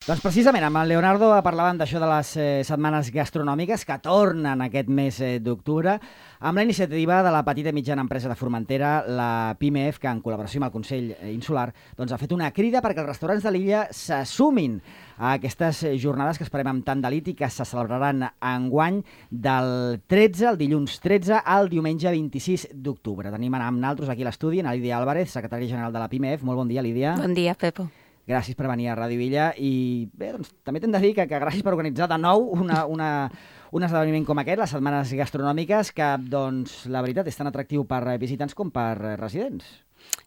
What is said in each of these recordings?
Doncs precisament amb el Leonardo parlàvem d'això de les setmanes gastronòmiques que tornen aquest mes d'octubre amb la iniciativa de la petita i mitjana empresa de Formentera, la PIMEF, que en col·laboració amb el Consell Insular doncs, ha fet una crida perquè els restaurants de l'illa se sumin a aquestes jornades que esperem amb tant delit i que se celebraran enguany del 13, el dilluns 13, al diumenge 26 d'octubre. Tenim amb nosaltres aquí a l'estudi a Lídia Álvarez, secretària general de la PIMEF. Molt bon dia, Lídia. Bon dia, Pepo. Gràcies per venir a Ràdio Villa i bé, doncs, també t'hem de dir que gràcies per organitzar de nou un esdeveniment com aquest, les setmanes gastronòmiques, que doncs, la veritat és tan atractiu per visitants com per residents.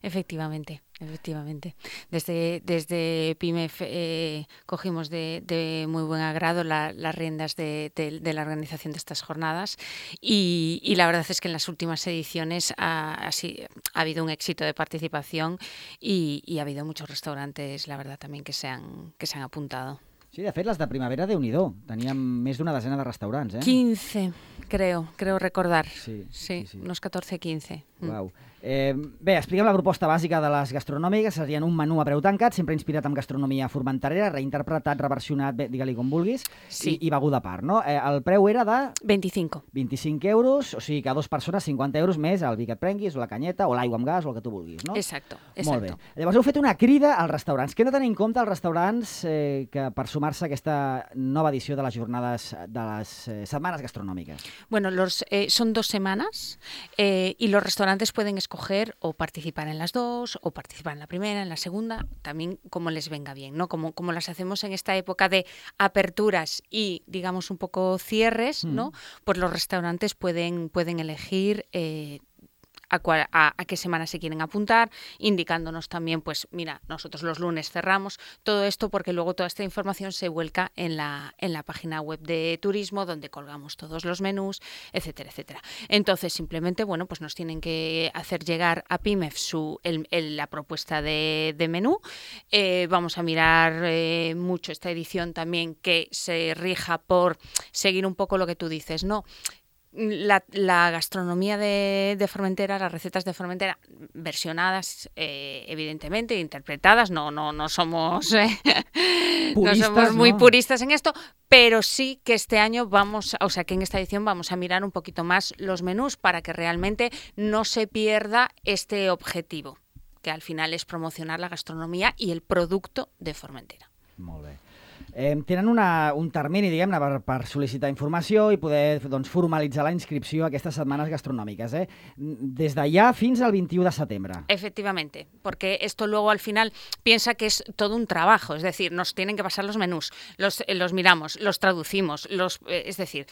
Efectivamente. Desde PIMEF cogimos de muy buen agrado las riendas de la organización de estas jornadas y la verdad es que en las últimas ediciones ha habido un éxito de participación y ha habido muchos restaurantes, la verdad, también que se han apuntado. Sí, de fet, les de primavera, Déu-n'hi-do. Teníem més d'una desena de restaurants, 15, creo recordar. Sí. Unos 14, 15. Uau. Bé, expliquem la proposta bàsica de les gastronòmiques. Serien un menú a preu tancat, sempre inspirat en gastronomia formenterera, reinterpretat, reversionat, digue-li com vulguis, sí. i beguda a part, no? El preu era de... 25 euros, o sigui que a dues persones 50 euros més el vi que et prenguis, o la canyeta, o l'aigua amb gas, o el que tu vulguis, no? Exacto. Molt bé. Llavors heu fet una crida als restaurants. Què hem de tenir en compte els restaurants que per sumar-se a aquesta nova edició de les jornades de les setmanes gastronòmiques? Bueno, son 2 semanas y los restaurantes pueden escoger o participar en las dos, o participar en la primera, en la segunda, también como les venga bien, ¿no? Como las hacemos en esta época de aperturas y, digamos, un poco cierres, ¿no? Pues los restaurantes pueden elegir a qué semana se quieren apuntar, indicándonos también, pues mira, nosotros los lunes cerramos, todo esto porque luego toda esta información se vuelca en la página web de turismo, donde colgamos todos los menús, etcétera, etcétera. Entonces, simplemente, bueno, pues nos tienen que hacer llegar a PIMEF la propuesta de menú. Vamos a mirar mucho esta edición también, que se rija por seguir un poco lo que tú dices, ¿no? La gastronomía de Formentera, las recetas de Formentera, versionadas, evidentemente, interpretadas, no somos puristas, no somos muy puristas en esto, pero sí que este año que en esta edición vamos a mirar un poquito más los menús para que realmente no se pierda este objetivo, que al final es promocionar la gastronomía i el producte de Formentera. Molt bé. Tenen un termini, diguem-ne, per sol·licitar informació i poder formalitzar la inscripció a aquestes setmanes gastronòmiques, des d'allà fins al 21 de setembre. Efectivamente, porque esto luego al final piensa que es todo un trabajo, es decir, nos tienen que pasar los menús, los miramos, los traducimos, es decir,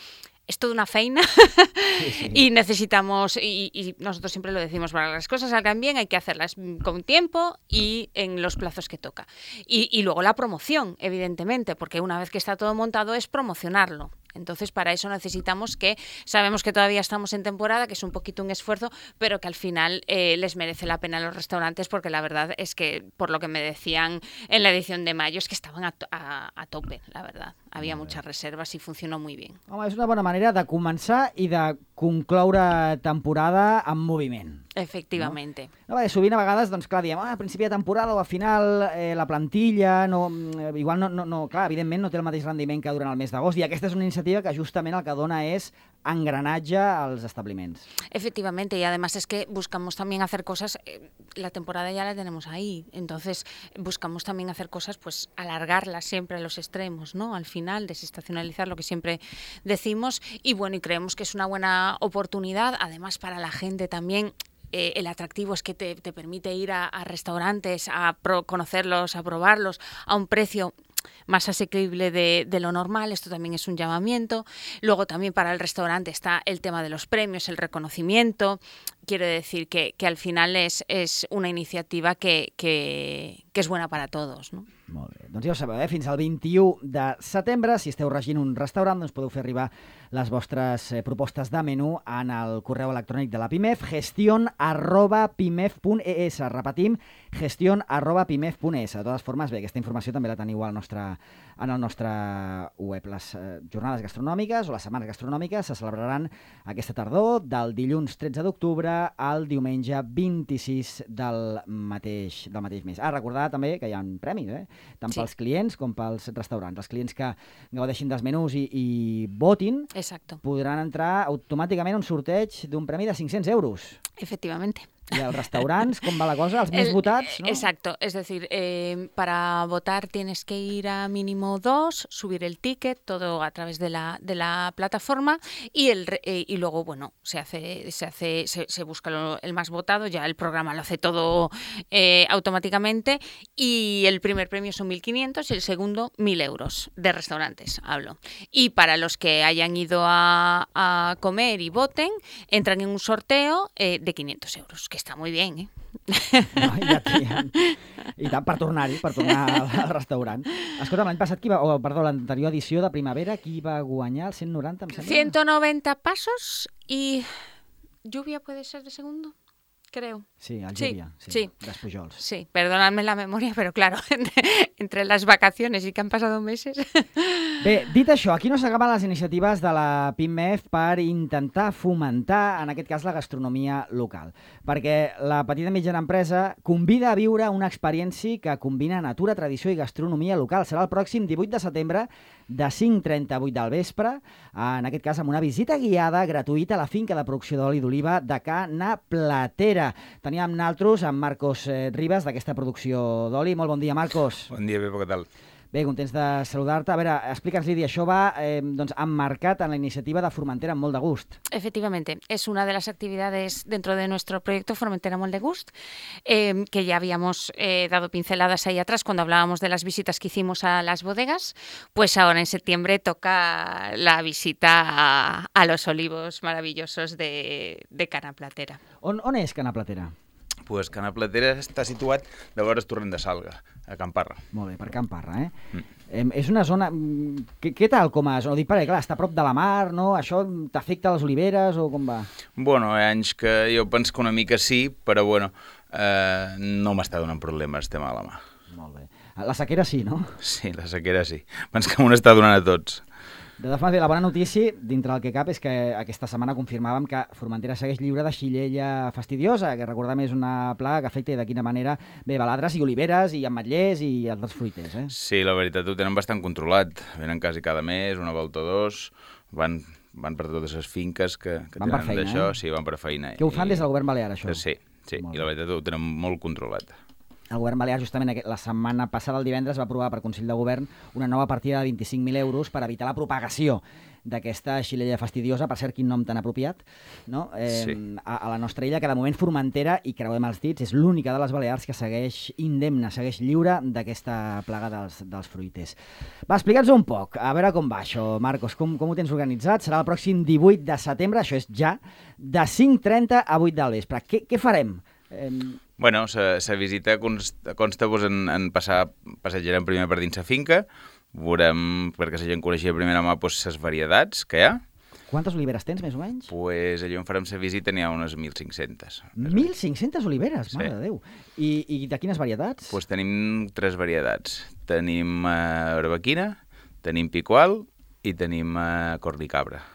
es toda una feina sí. Y necesitamos, y nosotros siempre lo decimos, para que las cosas salgan bien hay que hacerlas con tiempo y en los plazos que toca. Y luego la promoción, evidentemente, porque una vez que está todo montado es promocionarlo. Entonces, para eso sabemos que todavía estamos en temporada, que es un poquito un esfuerzo, pero que al final les merece la pena a los restaurantes, porque la verdad es que, por lo que me decían en la edición de mayo, es que estaban a tope, la verdad. Havia muchas reserves i funcionó muy bien. Home, és una bona manera de començar i de concloure temporada amb moviment. Efectivamente. No, sovint a vegades, doncs clar, diem, a principi de temporada o a final la plantilla, igual clar, evidentment no té el mateix rendiment que durant el mes d'agost, i aquesta és una iniciativa que justament el que dona és engranatge als establiments. Efectivamente, y además es que buscamos también hacer cosas, la temporada ya la tenemos ahí, entonces buscamos también hacer cosas, pues alargarlas siempre a los extremos, ¿no? Al final, desestacionalizar lo que siempre decimos, y bueno, y creemos que es una buena oportunidad, además para la gente también. El atractivo es que te permite ir a restaurantes, a conocerlos, a probarlos a un precio más asequible de lo normal. Esto también es un llamamiento. Luego también para el restaurante está el tema de los premios, el reconocimiento. Quiero decir que al final es una iniciativa que és buena para todos, no? Molt bé. Doncs ja ho sabeu, fins al 21 de setembre, si esteu regint un restaurant, doncs podeu fer arribar les vostres propostes de menú en el correu electrònic de la PIMEF, gestion@pimef.es. Repetim, gestion@pimef.es. De totes formes, bé, aquesta informació també la teniu en el nostre web. Les jornades gastronòmiques o les setmanes gastronòmiques se celebraran aquesta tardor, del dilluns 13 d'octubre al diumenge 26 del mateix mes. Recordar també que hi ha premis, tant pels clients com pels restaurants. Els clients que gaudeixin dels menús i votin podran entrar automàticament a un sorteig d'un premi de 500 euros. Efectivamente. Y a los restaurantes, ¿cómo va la cosa? ¿Los más votados? ¿No? Exacto, es decir, para votar tienes que ir a mínimo 2, subir el ticket, todo a través de la plataforma y luego, bueno, se busca el más votado, ya el programa lo hace todo automáticamente y el primer premio son 1.500 y el segundo 1.000 euros de restaurantes, hablo. Y para los que hayan ido a comer y voten, entran en un sorteo de 500 euros, que està molt bé, eh? No, I tant, per tornar al restaurant. Escolta, l'any passat, l'anterior edició de primavera, qui va guanyar el 190, em sembla? 190 pasos y Lluvia puede ser de segundo, creo. Sí, el Lluvia, sí. Dels Pujols. Sí, perdonadme la memoria, pero claro, entre las vacaciones y que han pasado meses... Bé, dit això, aquí no s'acaben les iniciatives de la PIMEF per intentar fomentar, en aquest cas, la gastronomia local. Perquè la petita i mitjana empresa convida a viure una experiència que combina natura, tradició i gastronomia local. Serà el pròxim 18 de setembre de 5:30 a 8 del vespre, en aquest cas amb una visita guiada gratuïta a la finca de producció d'oli d'oliva de Ca Na Platera. Teníem nosaltres amb Marcos Ribas d'aquesta producció d'oli. Molt bon dia, Marcos. Bon dia, Pepo, què tal? Bé, contents de saludar-te. A veure, explica'ns, Lídia, això va emmarcat en la iniciativa de Formentera amb molt de gust. Efectivamente, es una de las actividades dentro de nuestro proyecto Formentera Molt de Gust, que ya habíamos dado pinceladas ahí atrás cuando hablábamos de las visitas que hicimos a las bodegas. Pues ahora en septiembre toca la visita a los olivos maravillosos de Ca Na Platera. On és Ca Na Platera? Pues Ca Na Platera està situat de vora el torrent de Salga, a Can Parra. Molt bé, per Can Parra, eh? És una zona... Què tal com a zona? Ho dic perquè, clar, està a prop de la mar, no? Això t'afecta les oliveres o com va? Bueno, hi ha anys que jo penso que una mica sí, però bueno, no m'està donant problemes, estem a la mà. Molt bé. La sequera sí, no? Sí, la sequera sí. Penso que m'ho està donant a tots. De totes maneres, la bona notícia, dintre del que cap, és que aquesta setmana confirmàvem que Formentera segueix lliure de xilella fastidiosa, que recordem és una plaga que afecta de quina manera baladres i oliveres i ametllers i altres fruiters, eh? Sí, la veritat, ho tenen bastant controlat. Venen quasi cada mes, una volta o dos, van per totes les finques que tenen feina, d'això. Sí, van per feina. Que ho fan des del govern balear, això? Sí, i la veritat ho tenen molt controlat. El govern balear, justament la setmana passada, el divendres, va aprovar per Consell de Govern una nova partida de 25.000 euros per evitar la propagació d'aquesta xilella fastidiosa, per cert, quin nom tan apropiat, no? Sí. A la nostra illa, que de moment Formentera, i creuem els dits, és l'única de les Balears que segueix indemne, segueix lliure d'aquesta plaga dels fruiters. Va, explica'ns un poc, a veure com va això, Marcos, com ho tens organitzat? Serà el pròxim 18 de setembre, això és ja, de 5:30 a 8 del vespre. Què farem? Bueno, la visita consta en passejarem primer per dins la finca, veurem, perquè la gent coneixia de primera mà les varietats que hi ha. Quantes oliveres tens, més o menys? Pues allà on farem la visita n'hi ha unes 1.500. 1.500 oliveres? Mare sí. de Déu. I de quines varietats? Pues tenim 3 varietats. Tenim arbequina, tenim picual i tenim cornicabra.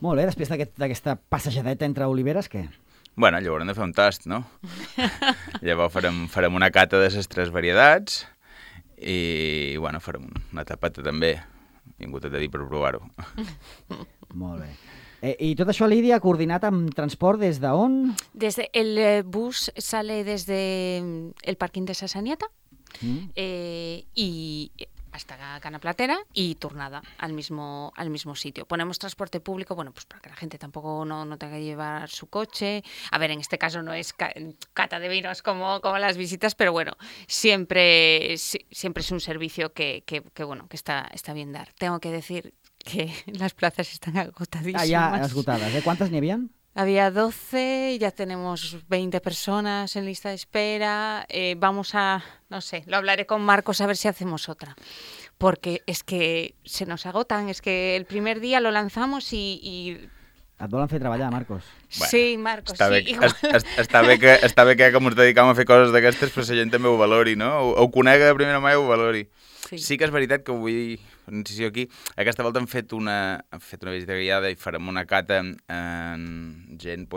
Molt bé, després d'aquesta passejadeta entre oliveres, què? Bueno, llavors hem de fer un tast, no? Llavors farem una cata de les 3 varietats i, bueno, farem una tapata també. Vingut a dir per provar-ho. Molt bé. I tot això, Lídia, coordinat amb transport des d'on? El bus sale desde el parking de Sasaniata y hasta Ca Na Platera y tornada al mismo sitio. Ponemos transporte público, bueno, pues para que la gente tampoco no tenga que llevar su coche. A ver, en este caso no es cata de vinos como las visitas, pero bueno, siempre es un servicio que bueno, que está bien dar. Tengo que decir que las plazas están agotadísimas. Ah, ya esgotadas. ¿Cuántas ni habían? Había 12, ya tenemos 20 personas en lista de espera. Vamos a, no sé, lo hablaré con Marcos a ver si hacemos otra. Porque es que se nos agotan, es que el primer día lo lanzamos y... Et volen fer treballar, Marcos. Bueno, sí, Marcos, està sí. Bé, està bé que com ens dedicam a fer coses d'aquestes, però la gent també ho valori, no? Ho conega de primera mà i ho valori. Sí que és veritat que vull una incisió aquí. Aquesta volta hem fet una visita guiada i farem una cata en gent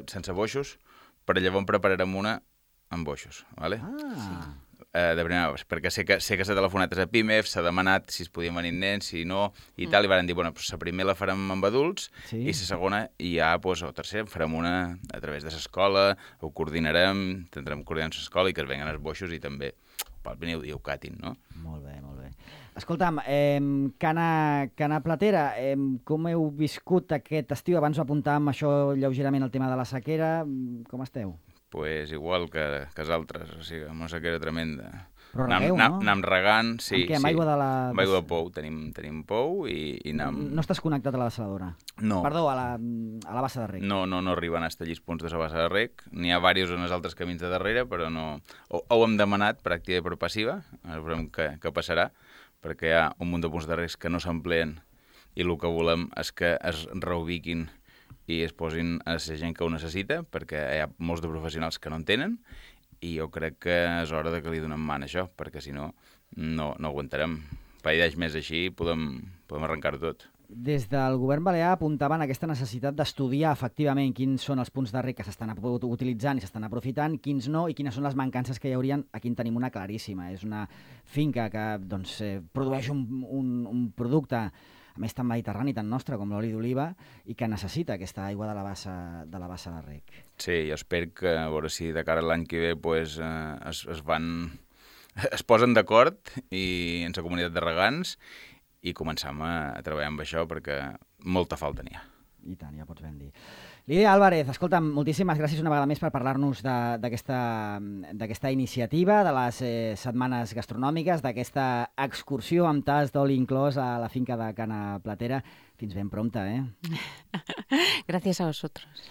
sense boixos, però llavors prepararem una amb boixos, ¿vale? Ah. De primera, perquè sé que s'ha telefonat a PIMEF, s'ha demanat si es podien venir nens, si no, i tal, i van dir, bueno, la primera la farem amb adults, i la segona, i ja, o tercera, farem una a través de l'escola, ho coordinarem, tindrem coordinant l'escola i que es venguen els boixos i també pel veniu i ho catin, no? Molt bé, molt bé. Escolta'm, Cana Platera, com heu viscut aquest estiu? Abans ho apuntàvem això lleugerament el tema de la sequera. Com esteu? Pues igual que els altres, o sigui, amb una sequera tremenda. Però regueu, no? Anam regant, sí. Amb què? Amb aigua de la... Amb aigua de pou, tenim pou i anam... No estàs connectat a la dessaladora? No. Perdó, a la bassa de rec. No arriben a estallir els punts de la bassa de rec. N'hi ha diversos en els altres camins de darrere, però no... Ho hem demanat per activa i per passiva, veurem què passarà, perquè hi ha un munt de punts de rec que no s'empleen i el que volem és que es reubiquin i es posin a la gent que ho necessita, perquè hi ha molts de professionals que no en tenen, i jo crec que és hora de que li donem man a això, perquè si no, no aguantarem. Un parell d'anys més així podem arrencar-ho tot. Des del govern balear apuntaven aquesta necessitat d'estudiar efectivament quins són els punts de rec que s'estan utilitzant i s'estan aprofitant, quins no, i quines són les mancances que hi haurien. Aquí en tenim una claríssima. És una finca que produeix un producte, a més tan mediterrani, tan nostre com l'oli d'oliva, i que necessita aquesta aigua de la bassa de rec. Sí, jo espero que, a veure si de cara a l'any que ve es posen d'acord i en la comunitat de regants i començam a treballar amb això perquè molta falta n'hi ha. I tant, ja pots ben dir. Lídia Álvarez, escolta'm, moltíssimes gràcies una vegada més per parlar-nos d'aquesta iniciativa, de les setmanes gastronòmiques, d'aquesta excursió amb tas d'oli inclòs a la finca de Cana Platera. Fins ben prompte, Gracias a vosotros.